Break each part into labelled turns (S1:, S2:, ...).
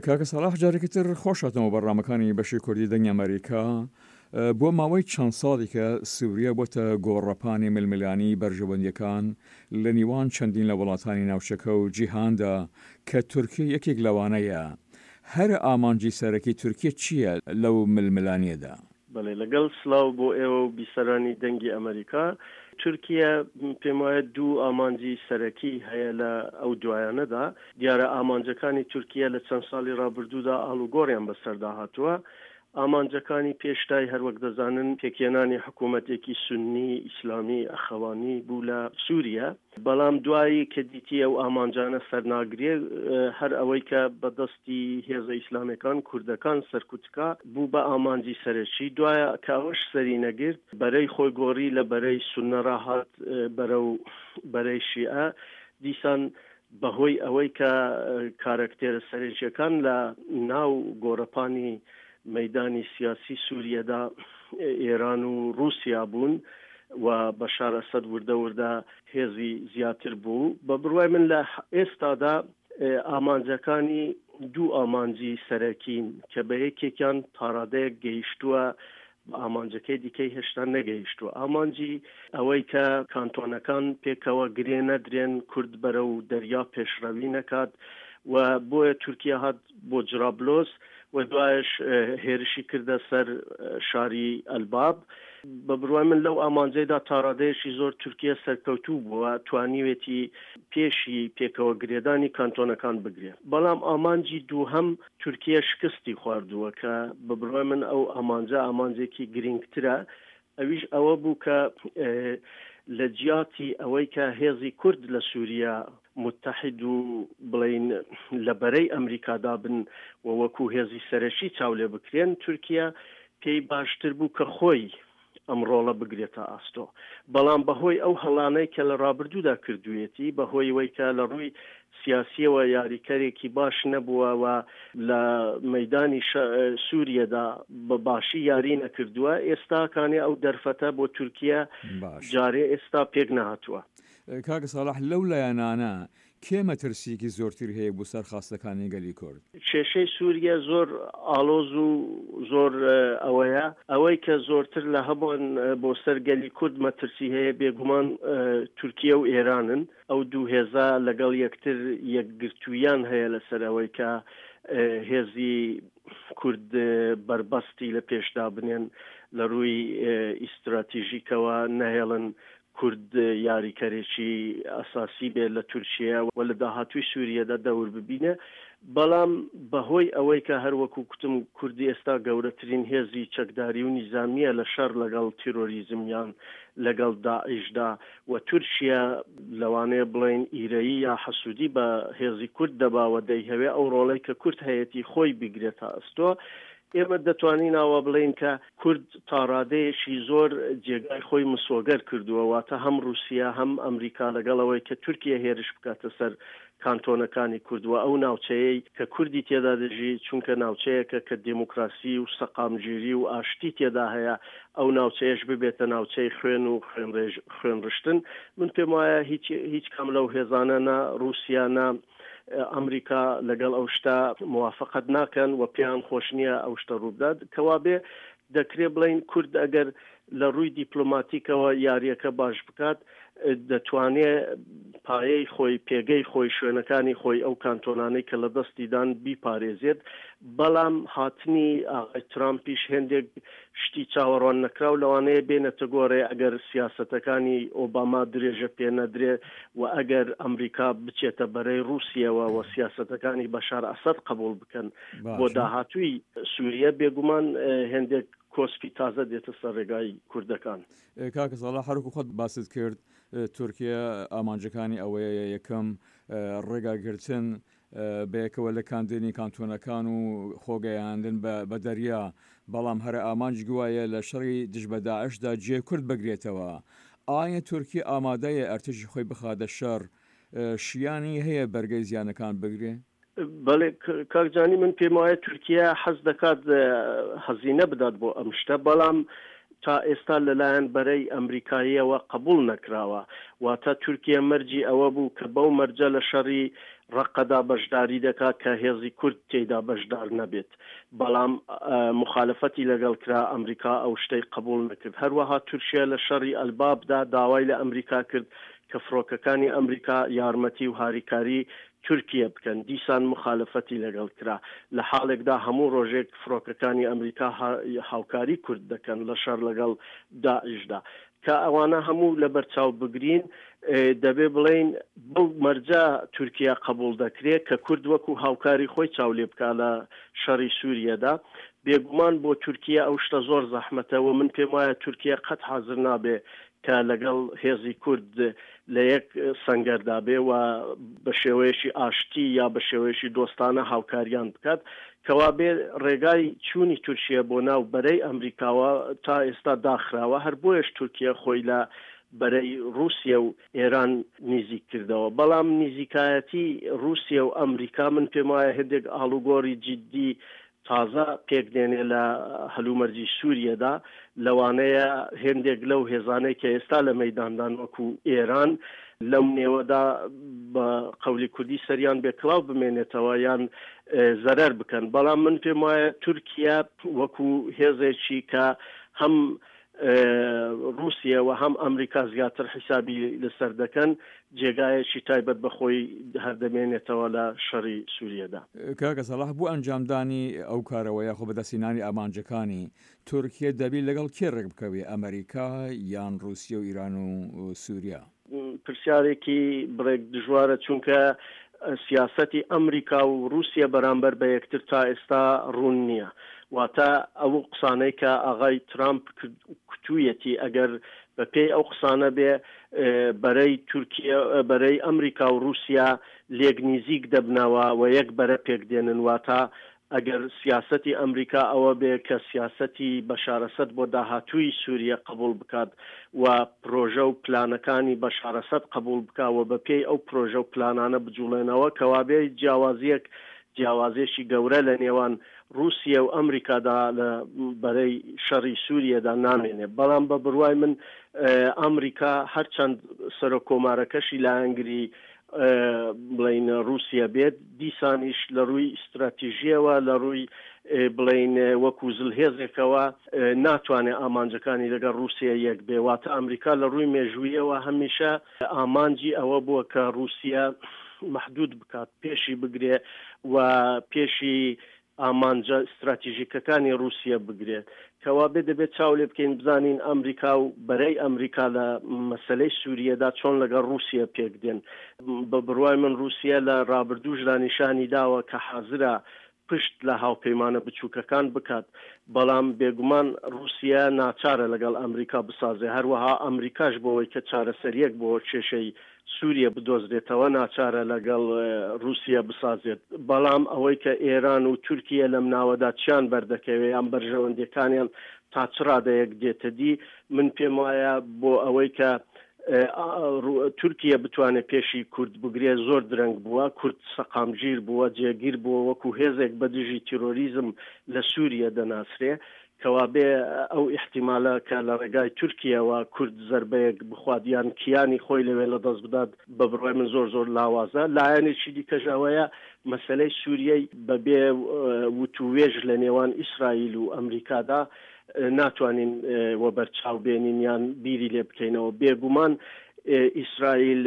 S1: کاکە سەڵاح جارێکی تر خۆش هاتنەوە بەرنامەکانی بەشی کوردی دەنگی ئەمەریکا. بۆ ماوەی چەند ساڵیکە سوریا بۆتە گۆڕەپانی ململانیی بەرژەوەندییەکان لە نیوان چەندین لە وڵاتانی ناوچەکە و جیهاندا کە تورکیە یەکێک لەوانەیە. هەرە ئامانجی سەرەکی تورکیە چییە لەو ململانییەدا؟
S2: بەڵێ لەگەڵ سڵاو بۆ ئێوە و بیسەرانی دەنگی ئەمەریکا. تورکیە پێموایە دوو ئامانجی سەرەکی هەیە لە ئەو دوایانەدا. دیارە ئامانجەکانی تورکیە لە چەند ساڵی ڕابردوودا ئاڵوگۆڕیان بەسەردا هاتووە. ئامانجەکانی پێشتای هەروەک دەزانن پێکهێنانی حکوومەتێکی سوننی ئیسلامی ئەخەوانی بوو لە سووریە. بەڵام دوایی کە دیتی ئەو ئامانجانە سەرناگرێ هەر ئەوەی کە بە دەستی هێزە ئیسلامەکان کوردەکان سەرکوتکا بوو بە ئامانجی سەرەکی دوایە کە ئەوەش سەری نەگرت بەرەی خۆی گۆڕی لە بەرەی سوننە ڕا هات بەرەو بەرەی شیعە دیسان بەهۆی ئەوەی کە کارەکتێرە سەرەکیەکان لە ناو گۆڕەپانی مەیدانی سیاسی سوریەدا ئێران و ڕووسیا بوون و بەشار ئەسەد وردە وردە هێزی زیاتر بوو بە بڕوای من لە ئێستادا ئامانجەکانی دوو ئامانجی سەرەکین کە بە یەکێکیان تاڕادەیەک گەیشتووە بە ئامانجەکەی دیکەی هێشتا نەگەیشتووە. ئامانجی ئەوەی کە کانتۆنەکان پێکەوە گرێ نەدرێن، کورد بەرەو دەریا پێشڕەوی نەکات و بۆیە تورکیا هات بۆ جرابلۆس و دوایش هێرشی کردە سەر شاری ئەلباب. بە بڕوای من لەو ئامانجەیدا تاڕادەیەکی زۆر تورکیا سەرکەوتوو بووە، توانیوێتی پێشی پێکەوە گرێدانی کانتۆنەکان بگرێ. بەڵام ئامانجی دووهەم تورکیە شکستی خواردووە کە بە بڕوای من ئەو ئامانجە ئامانجێکی گرینگترە ئەویش ئەوە بوو کە لە جیاتی ئەوەی کە هێزی کورد لە سووریا متحد و بڵین لە بەرەی ئەمریکادا بن و وەکو هێزی سەرەکی چاو لێ بکرێن تورکیا پێی باشتر بوو کە خۆی ئەم ڕۆڵە بگرێتە ئاستۆ، بەڵام بەهۆی ئەو هەڵانەی کە لە ڕابردوودا کردوویەتی، بەهۆی وەی کە لە ڕووی سیاسییەوە یاریکەرێکی باش نەبووە و لە مەیدانی سووریەدا بە باشی یاری نەکردووە، ئێستا کانێ ئەو دەرفەتە بۆ تورکیە جارێ ئێستا پێک نەهاتووە.
S1: کاک ساڵح لەو لایەنانە کێ مەترسییەکی زۆرتری هەیە بۆ سەر خواستەکانی گەلی کورد؟
S2: کێشەی سوریە زۆر ئاڵۆز و زۆر ئەوەیە، ئەوەی کە زۆرتر لە هەمووان بۆ سەر گەلی کورد مەترسی هەیە بێگومان تورکیە و ئێرانن. ئەو دوو هێزە لەگەڵ یەکتر یەکگرتوویان هەیە لەسەر ئەوەی کە هێزی کورد بەربەستی لە پێش دابنێن لە ڕووی ئیستراتیژیکەوە نەهێڵن کورد یاریکەرێکی ئەساسی بێت لە تورکیە و لە داهاتووی سوریەدا دەور ببینێ، بەڵام بە هۆی ئەوەی کە هەر وەکوو کوتم کورد ئێستا گەورەترین هێزی چەکداری و نیزامییە لە شەڕ لەگەڵ تیرۆریزم یان لەگەڵ داعیشدا و تورکیە لەوانەیە بڵێین ئیرەیی یا حەسوودی بە هێزی کورد دەبا و دەیهەوێ ئەو ڕۆڵەی کە کورد هەیەتی خۆی بیگرێتە ئەستۆ ئێمە دەتوانین ئاوا بڵێین کە کورد تاڕادەیەکی زۆر جێگای خۆی مسۆگەر کردووە، واتە هەم ڕووسیە هەم ئەمریکا لەگەڵ ئەوەی کە تورکیە هێرش بکاتە سەر کانتۆنەکانی کورد و ئەو ناوچەیەی کە کوردی تێدا دەژی، چونکە ناوچەیەکە کە دێموکراسی و سەقامگیری و ئاشتی تێدا هەیە، ئەو ناوچەیەش ببێتە ناوچەی خوێن و خوێنڕشتن، من پێم وایە هیچ هیچ کام لەو هێزانە نە ڕووسیا نە ئەمریکا لەگەڵ ئەو شتە موافقەت ناکەن و پێیان خۆش نییە ئەو شتە ڕووبدات، کەوابێ دەکرێ بڵێین کورد ئەگەر لە ڕووی دیپلۆماتیکەوە یارییەکە باش بکات دەتوانێ پایەی خۆی، پێگەی خۆی، شوێنەکانی خۆی، ئەو کانتۆنانەی کە لە دەستی دان بیپارێزێت، بەڵام هاتنی ئاغای ترامپیش هێندێک شتی چاوەڕوان نەکراو لەوانەیە بێنێتە گۆڕێ ئەگەر سیاسەتەکانی ئۆباما درێژە پێ نەدرێ و ئەگەر ئەمریکا بچێتە بەرەی ڕووسیەوە و سیاسەتەکانی بەشار ئەسەد قبوڵ بکەن بۆ داهاتووی سووریە بێگومان هێندێک کۆسپی تازە دێتە سەر ڕێگای کوردەکان.
S1: کاکە ساڵح هەروەکو خۆت باست کرد تورکیە ئامانجەکانی ئەوەیە یەکەم ڕێگاگرتن بەیەکەوە لکاندنی کانتۆنەکان و خۆگەیاندن بە دەریا، بەڵام هەرە ئامانج گوایە لە شەڕی دژ بە داعشدا جێ کورد بگرێتەوە. ئایا تورکیە ئامادەیە ئەرتەشی خۆی بخاتە شەڕ؟ شیانی هەیە بەرگەی زیانەکان بگرێ؟
S2: بەڵێ کاک جانی من پێم وایە تورکیە حەز دەکات هەزینە بدات بۆ ئەم شتە، بەڵام تا ئێستا لەلایەن بەرەی ئەمریکاییەوە قبوڵ نەکراوە، واتە تورکیە مەرجی ئەوە بوو کە بەو مەرجە لە شەڕی ڕەققەدا بەشداری دەکات کە هێزی کورد تێیدا بەشدار نەبێت، بەڵام موخالەفەتی لەگەڵ کرا، ئەمریکا ئەو شتەی قبوڵ نەکرد. هەروەها تورکیە لە شەڕی ئەلبابدا داوای لە ئەمریکا کرد کە فڕۆکەکانی ئەمریکا یارمەتی و هاریکاری تورکیە بکەن، دیسان موخالەفەتی لەگەڵ کرا، لە حاڵێکدا هەموو ڕۆژێک فڕۆکەکانی ئەمریکا هاوکاری کورد دەکەن لە شەڕ لەگەڵ داعشدا. کە ئەوانە هەموو لەبەر چاو بگرین دەبێ بڵێین بەو مەرجە تورکیا قەبووڵ دەکرێ کە کورد وەکوو هاوکاری خۆی چاو لێ بکا لە شەڕی سووریەدا. بێگومان بۆ تورکیە ئەو شتە زۆر زەحمەتە و من پێم وایە تورکیە قەت حازر نابێ کە لەگەڵ هێزی کورد لە یەک سەنگەردا بێ و بە شێوەیەکی ئاشتی یا بە شێوەیەکی دۆستانە هاوکاریان بکات. کەوابێ ڕێگای چوونی تورکیە بۆ ناو بەرەی ئەمریکاوە تا ئێستا داخراوە، هەر بۆیەش تورکیە خۆی لە بەرەی ڕووسیە و ئێران نیزیک کردەوە. بەڵام نیزیکایەتی ڕووسیە و ئەمریکا من پێم وایە هێندێک ئاڵوگۆڕی جیددی تازە پێک دێنێ لە هەلومەرجی سووریەدا، لەوانەیە هێندێک لەو هێزانەی کە ئێستا لە مەیداندان وەکوو ئێران لەو نێوەدا بە قەولی کوردی سەریان بێ کڵاو بمێنێتەوە یان زەرەر بکەن بەڵام من پێم وایە تورکیە وەکوو هێزێکی کە هەم ڕووسیە و هەم ئەمریکا زیاتر حیسابی لەسەر دەکەن، جێگایەکی تایبەت بە خۆی هەر دەمێنێتەوە لە شەڕی سووریەدا.
S1: کاکە سەڵاح بۆ ئەنجامدانی ئەو کارەوە یاخۆ بەدەستهێنانی ئامانجەکانی، تورکیە دەبی لەگەڵ کێ ڕێک بکەوێ، ئەمریکا یان ڕووسیە و ئیران و سووریا؟
S2: پرسیارێکی بڕێک دژوارە، چونکە سیاسەتی ئەمریکا و ڕووسیە بەرامبەر بە یەکتر تا ئێستا ڕوون نییە. واتە ئەو قسانەی کە ئاغای ترامپ کوتوویەتی ئەگەر بە پێی ئەو قسانە بێ بەرەی تورکیە بەرەی ئەمریکا و ڕووسیا لێک نیزیک دەبنەوە و یەک بەرە پێک دێنن واتە ئەگەر سیاسەتی ئەمریکا ئەوە بێ کە سیاسەتی بەشار ئەسەد بۆ داهاتووی سووریە قەبووڵ بکات و پرۆژە و پلانەکانی بەشار ئەسەد قەبووڵ بکا و بە پێی ئەو پرۆژە و پلانانە بجووڵێنەوە کەوابێ جیاوازییەک جیاوازییەکی گەورە لە نێوان ڕووسیە و ئەمریکادا لە بەرەی شەڕی سووریەدا نامێنێ. بەڵام بە بڕوای من ئەمریکا هەرچەند سەرۆک کۆمارەکەشی لایەنگری بڵێین ڕووسیە بێت، دیسانیش لە ڕووی ستراتیژییەوە، لە ڕووی بڵێین وەکوو زلهێزێکەوە ناتوانێ ئامانجەکانی لەگەڵ ڕووسیە یەک بێ. واتە ئەمریکا لە ڕووی مێژوویەوە هەمیشە ئامانجی ئەوە بووە کە ڕووسیە مەحدوود بکات، پێشی بگرێ و پێشی ئامانجە ستراتیژیکەکانی ڕووسیە بگرێت. کەوابێ دەبێت چاو لێ بکەین بزانین ئەمریکا و بەرەی ئەمریکا لە مەسەلەی سووریەدا چۆن لەگەڵ ڕووسیە پێک دێن. بە بڕوای من ڕووسیە لە ڕابردووشدا نیشانی داوە کە حازرە پشت لە هاوپەیمانە بچووکەکان بکات، بەڵام بێگومان ڕووسیە ناچارە لەگەڵ ئەمریکا بسازێ، هەروەها ئەمریکاش بۆوەی کە چارەسەرییەک بۆ کێشەی سوریە بدۆزرێتەوە ناچارە لەگەڵ ڕوسیە بسازێت، بەڵام ئەوەی کە ئێران و تورکیە لەم ناوەدا چیان بەردەکەوێ یان بەرژەوەندیەکانیان تا چ ڕادەیەک دێتەدی من پێم وایە بۆ ئەوەی کە تورکیە بتوانێت پێشی کورد بگرێ زۆر درەنگ بووە، کورد سەقامگیر بووە، جێگیر بووە وەکو هێزێک بە دژی تیرۆریزم لە سوریە دەناسرێ کەوابێ ئەو ئیحتیمالە کە لە ڕێگای تورکیەوە کورد زەربەیەک بخوات یان کیانی خۆی لەوێ لە دەست بدات بە بڕوای من زۆر زۆر لاوازە. لایەنێکی دیکەش ئەوەیە مەسەلەی سوریەی بە بێ وتووێژ لە نێوان ئیسرائیل و ئەمریکادا ناتوانین وەبەرچاو بێنین یان بیری لێ بکەینەوە. بێگومان ئیسرائیل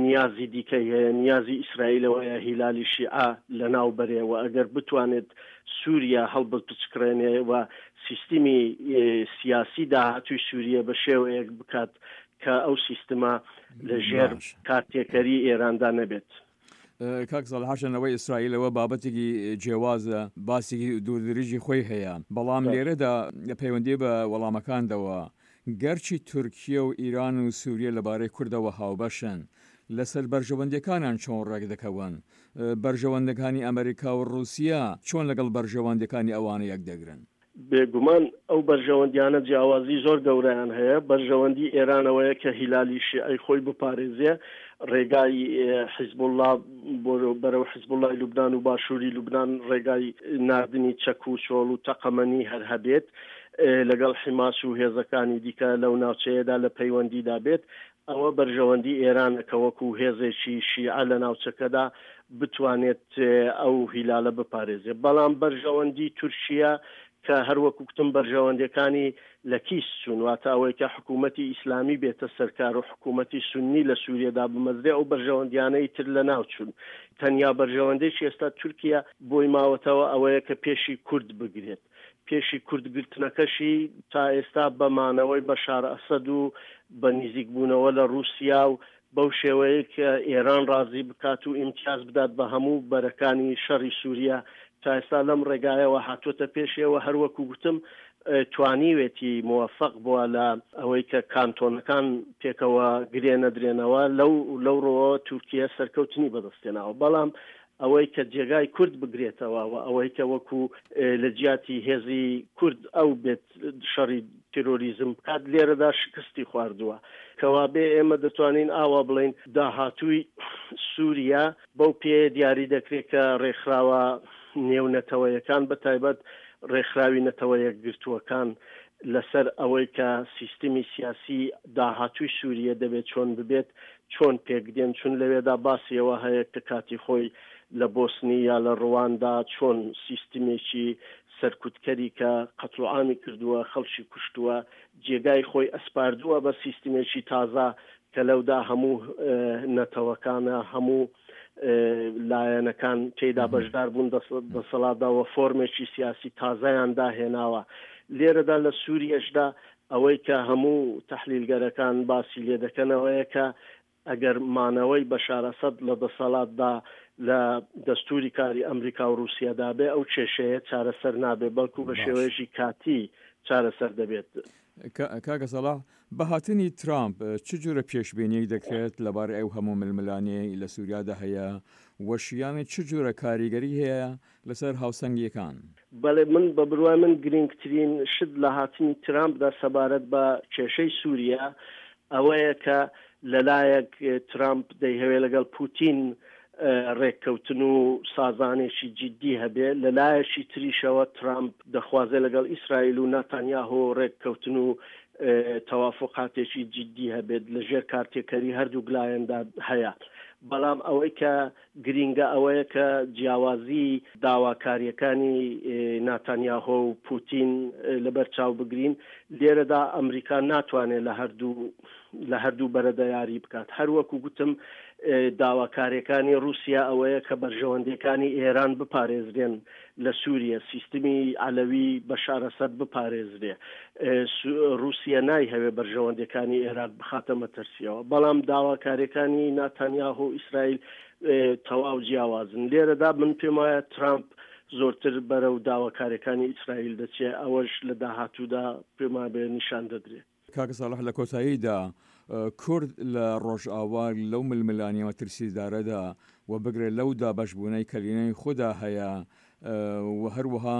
S2: نیازی دیکەی هەیە، نیازی ئیسرائیل ئەوەیە هیلالی شیعە لەناو بەرێ و ئەگەر بتوانێت سووریا هەڵبپچکڕێنێ و سیستمی سیاسی داهاتووی سووریە بە شێوەیەک بکات کە ئەو سیستمە لە ژێر کارتێکەری ئێراندا نەبێت.
S1: کاک ساڵح هەرچەند ئەوەی ئیسرائیل ئەوە بابەتێکی جیاوازە باسێکی دووردرێژی خۆی هەیە بەڵام لێرەدا لە پەیوەندی بە وەڵامەکاندەوە گەرچی تورکیە و ئیران و سوریە لەبارەی کوردەوە هاوبەشن لەسەر بەرژەوەندیەکانیان چۆن ڕێک دەکەون بەرژەوەندەکانی ئەمریکا و ڕوسیە چۆن لەگەڵ بەرژەوەندیەکانی ئەوانە یەک دەگرن؟
S2: بێگومان ئەو بەرژەوەندیانە جیاوازی زۆر گەورەیان هەیە، بەرژەوەندی ئێران ئەوەیە کە هیلالی شیعەی خۆی بپارێزێ، ڕێگای حیزبوڵڵا بەرەو حیزبوڵڵای لوبنان و باشووری لوبنان ڕێگای ناردنی چەک و چۆڵ و تەقەمەنی هەر هەبێت، لەگەڵ حیماس و هێزەکانی دیکە لەو ناوچەیەدا لە پەیوەندیدا بێت، ئەوە بەرژەوەندی ئێرانە کە وەکو هێزێکی شیعە لە ناوچەکەدا. بتوانێت ئەو هیلالە بپارێزێ. بەڵام بەرژەوەندی تورکیە کە هەر وەکو کوتم بەرژەوەندیەکانی لە کیس چوون، واتە ئەوەی کە حکوومەتی ئیسلامی بێتە سەر کار و حکوومەتی سوننی لە سووریە دابمەزرێ ئەو بەرژەوەندیانەی تر لە ناو چوون. تەنیا بەرژەوەندێکی ئێستا تورکیە بۆی ماوەتەوە ئەوەیە کە پێشی کورد بگرێت. پێشی کورد گرتنەکەشی تا ئێستا بە مانەوەی بەشار ئەسەد و بە نیزیک بوونەوە لە ڕووسیا و بەو شێوەیەی کە ئێران ڕازی بکات و ئیمتیاز بدات بە هەموو بەرەکانی شەڕی سووریە تا ئێستا لەم ڕێگایەوە هاتووەتە پێشێ و هەر وەکوو گوتم توانیوێتی موەفەق بووە لە ئەوەی کە کانتۆنەکان پێکەوە گرێ نەدرێنەوە لەو لەو ڕووەوە تورکیە سەرکەوتنی بەدەست هێناوە بەڵام ئەوەی کە جێگای کورد بگرێتەوە و ئەوەی کە وەکوو لە جیاتی هێزی کورد ئەو بێت شەڕی تێرۆریزم بکات لێرەدا شکستی خواردووە. کەوابێ ئێمە دەتوانین ئاوا بڵێین داهاتووی سووریا بەو پێیە دیاری دەکرێت کە ڕێکخراوە نێونەتەوەیەکان بە تایبەت ڕێکخراوی نەتەوە یەکگرتووەکان لەسەر ئەوەی کە سیستمی سیاسی داهاتووی سووریە دەبێت چۆن ببێت چۆن پێکدێن چون لەوێدا باسی ئەوە هەیە کە کاتی خۆی لە بۆسنی یا لە ڕواندا چۆن سیستمێکی سەرکوتکەری کە قەتڵوعامی کردووە، خەڵکی کوشتووە، جێگای خۆی ئەسپاردووە بە سیستمێکی تازە کە لەودا هەموو نەتەوەکانە، هەموو لایەنەکان تێیدا بەشدار بوون دەسەڵاتدا و فۆرمێکی سیاسی تازەیان داهێناوە. لێرەدا لە سووریەشدا ئەوەی کە هەموو تەحلیلگەرەکان باسی لێ دەکەن ئەوەیە کە ئەگەر مانەوەی بەشار ئەسەد لە دەسەڵاتدا لە دەستووری کاری ئەمریکا و ڕووسیەدا بێ، ئەو کێشەیە چارەسەر نابێ، بەڵکوو بە
S1: باش.
S2: شێوەیەکی کاتی چارەسەر دەبێت.
S1: کاکە سەڵاح، بە هاتنی ترامپ چ جورە پێشبینییەک دەکرێت لەبارەی ئەو هەموو ململانێیەی لە سووریادا هەیە و شیانی چ جورە کاریگەری هەیە لەسەر هاوسەنگییەکان؟
S2: بەڵێ من بە بروای من گرینگترین شت لە هاتنی ترامپدا سەبارەت بە کێشەی سووریە ئەوەیە کە لەلایەک ترامپ دەیهەوێ لەگەڵ پوتین ڕێککەوتن و سازانێکی جیدی هەبێ، لەلایەکی تریشەوە ترامپ دەخوازێ لەگەڵ ئیسرائیل و ناتانیاهۆ ڕێککەوتن و تەوافوقاتێکی جیدی هەبێت لە ژێر کارتێکەری هەردووک لایەندا هەیە. بەڵام ئەوەی کە گرینگە ئەوەیە کە جیاوازی داواکارییەکانی ناتانیاهۆ و پوتین لەبەر چاو بگرین، لێرەدا ئەمریکا ناتوانێت لە هەردوو لە هەردوو بەرەدا یاری بکات. هەر وەکو گوتم داواکارییەکانی ڕووسیا ئەوەیە کە بەرژەوەندییەکانی ئێران بپارێزرێن لە سووریە، سیستمی عەلەوی بەشار ئەسەد بپارێزرێ. ڕووسیە نایهەوێ بەرژەوەندیەکانی ئێراق بخاتە مەترسیەوە. بەڵام داواکاریەکانی ناتانیاهۆ و ئیسرائیل تەواو جیاوازن. لێرەدا من پێم وایە ترامپ زۆرتر بەرەو داواکاریەکانی ئیسرائیل دەچێ، ئەوەش لە داهاتوودا پێم وابێ نیشان دەدرێ.
S1: کاکە ساڵح لە کۆتاییدا کورد لە ڕۆژئاوا لەو ململانێ مەترسیدارەدا و بگرە لەو دابەشبوونەی کە لەنێوی خۆدا هەیە و هەروەها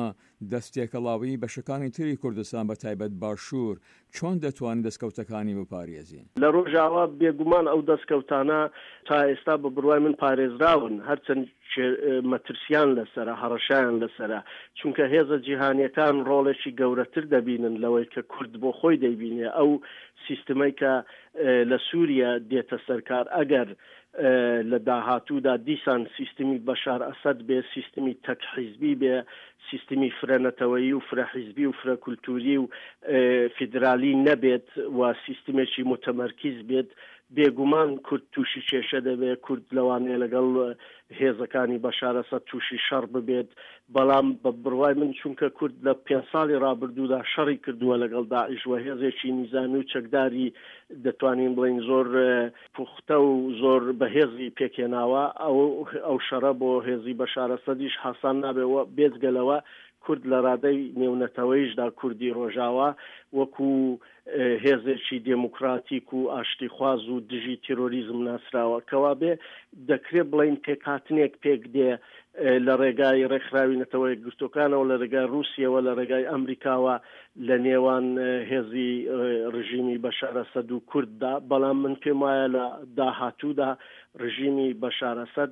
S1: دەست تێکەڵاویی بەشەکانی تری کوردستان بە تایبەت باشوور چۆن دەتوانین دەستکەوتەکانی بپارێزین؟
S2: لە ڕۆژئاوا بێگومان ئەو دەستکەوتانە تا ئێستا بە بڕوای من پارێزراون هەرچەند مەترسیان لەسەرە، هەڕەشەیان لەسەرە، چونکە هێزە جیهانیەکان ڕۆڵێکی گەورەتر دەبینن لەوەی کە کورد بۆ خۆی دەیبینێ، ئەو سیستمەی کە لە سوریە دێتە سەر کار ئەگەر لە داهاتوودا دیسان سیستمی بەشار ئەسەد بێ، سیستمی تەک حیزبی بێ، سیستمی فرە نەتەوەیی و فرە حیزبی و فرە کولتووری و فیدرالی نەبێت و سیستمێکی موتەمەرکیز بێت، بێگومان کورد تووشی کێشە دەبێت، کورد لەوانەیە لەگەڵ هێزەکانی بەشار ئەسەد تووشی شەڕ ببێت، بەڵام بە بڕوای من چونکە کورد لە پێنج ساڵی ڕابردوودا شەڕی کردووە لەگەڵ داعش و هێزێکی نیزامی و چەکداری دەتوانین بڵێین زۆر پوختە و زۆر بەهێزی پێکهێناوە، ئەو ئەو شەڕە بۆ هێزی بەشار ئەسەدیش هاسان نابێت و بێجگە لەوە کورد لە ڕادەی نێونەتەوەیشدا کوردی ڕۆژاوا وەکوو هێزێکی دێموکراتیک و ئاشتیخواز و دژی تیرۆریزم ناسراوە. کەوابێ دەکرێ بڵێین پێکهاتنێک پێک دێ لە ڕێگای ڕێکخراوی نەتەوە یەکگرتووەکانەوە، لە ڕێگای ڕووسیەوە، لە ڕێگای ئەمریکاوە لە نێوان هێزی ڕژیمی بەشار ئەسەد و کورددا، بەڵام من پێم وایە لە داهاتوودا ڕژیمی بەشار ئەسەد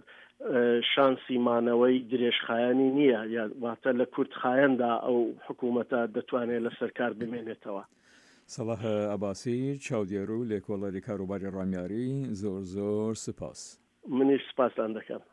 S2: شانسی مانەوەی درێژخایەنی نییە، واتە لە کورتخایەندا ئەو حکوومەتە دەتوانێت لەسەر کار بمێنێتەوە.
S1: سەڵاح عەباسی، چاودێر و لێکۆڵەری کاروباری ڕامیاری، زۆر زۆر سپاس.
S2: منیش سپاستان دەکەم.